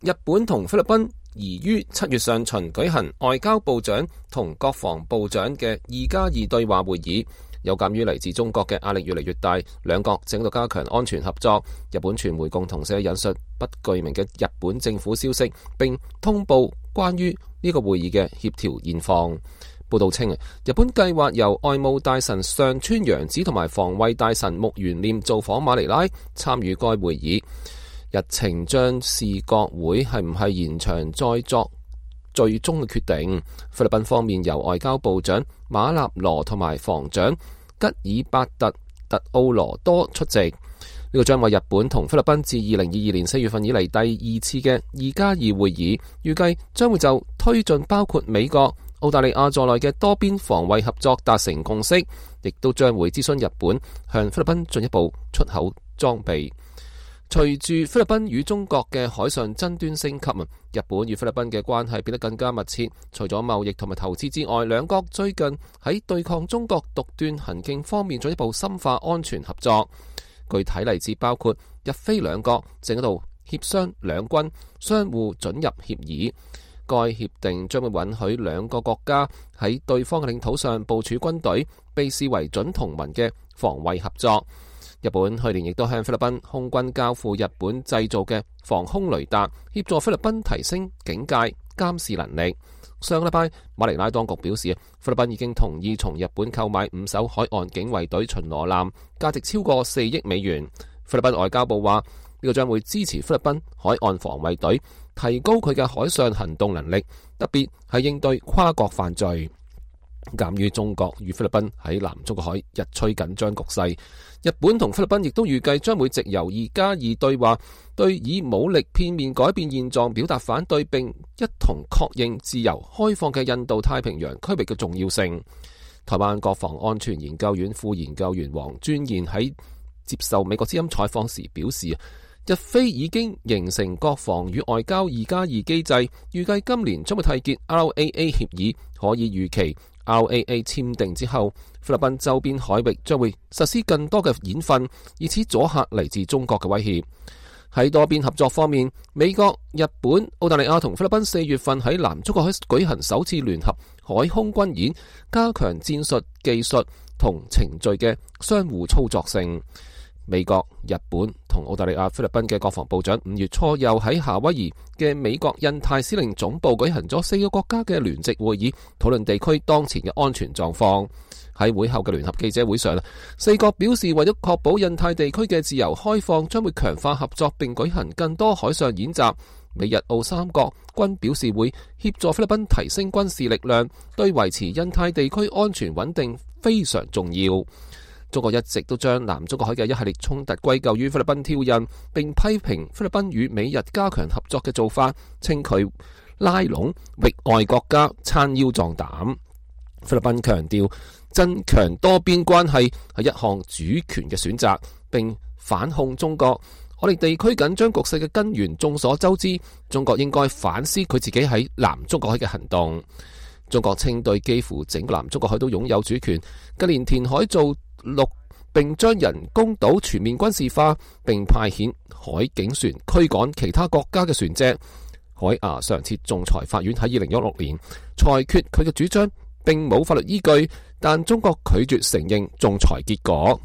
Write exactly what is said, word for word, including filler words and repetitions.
日本同菲律賓宜於七月上旬舉行外交部長同國防部長嘅二加二對話會議。有鑑於嚟自中國嘅壓力越嚟越大，兩國正喺度加強安全合作。日本傳媒共同社引述不具名嘅日本政府消息，並通報關於呢個會議嘅協調現況。報道稱，日本計劃由外務大臣上川陽子同埋防衛大臣木原稔造訪馬尼拉，參與該會議。日程將視各會係唔係延長再作最終嘅決定。菲律賓方面由外交部長馬納羅同埋防長吉爾伯特特奧羅多出席。呢、這個將為日本同菲律賓自二零二二年四月份以嚟第二次嘅二加二會議，預計將會就推進包括美國、澳大利亞在內嘅多邊防衛合作達成共識，亦都將會諮詢日本向菲律賓進一步出口裝備。隨住菲律賓與中國嘅海上爭端升級，日本與菲律賓嘅關係變得更加密切。除咗貿易同埋投資之外，兩國最近喺對抗中國獨斷行徑方面進一步深化安全合作。具體例子包括日菲兩國正喺度協商兩軍相互准入協議。該協定將會允許兩個國家喺對方嘅領土上部署軍隊，被視為準同盟嘅防衛合作。日本去年亦都向菲律賓空軍交付日本製造嘅防空雷達，協助菲律賓提升警戒監視能力。上個禮拜，馬尼拉當局表示，菲律賓已經同意從日本購買五艘海岸警衛隊巡邏艦，價值超過四億美元。菲律賓外交部話，呢個將會支持菲律賓海岸防衛隊提高佢嘅海上行動能力，特別係應對跨國犯罪。鑑於中國與菲律賓喺南中國海日趨緊張局勢，日本同菲律賓亦都預計將會藉由二加二對話，對以武力片面改變現狀表達反對，並一同確認自由開放嘅印度太平洋區域嘅重要性。台灣國防安全研究院副研究員黃尊賢喺接受美國之音採訪時表示，日菲已經形成國防與外交二加二機制，預計今年將會締結 R A A 協議，可以預期 R A A 簽訂之後，菲律賓周邊海域將會實施更多嘅演訓，以此阻嚇嚟自中國嘅威脅。喺多邊合作方面，美國、日本、澳大利亞同菲律賓四月份喺南中國海舉行首次聯合海空軍演，加強戰術、技術同程序嘅相互操作性。美國、日本同澳大利亞、菲律賓嘅國防部長五月初又喺夏威夷嘅美國印太司令總部舉行咗四個國家嘅聯席會議，討論地區當前嘅安全狀況。喺會後嘅聯合記者會上，四國表示為咗確保印太地區嘅自由開放，將會強化合作並舉行更多海上演習。美日澳三國均表示會協助菲律賓提升軍事力量，對維持印太地區安全穩定非常重要。中國一直都將南中國海嘅一系列衝突歸咎於菲律賓挑釁，並批評菲律賓與美日加強合作嘅做法，稱佢拉攏域外國家撐腰壯膽。菲律賓強調增強多邊關係係一項主權嘅選擇，並反控中國。我哋地區緊張局勢嘅根源眾所周知，中國應該反思佢自己喺南中國海嘅行動。中國稱對幾乎整個南中國海都擁有主權，近年填海造陸並將人工島全面軍事化，並派遣海警船驅趕其他國家嘅船隻。海牙常設仲裁法院喺二零一六年裁決佢嘅主張並冇法律依據，但中國拒絕承認仲裁結果。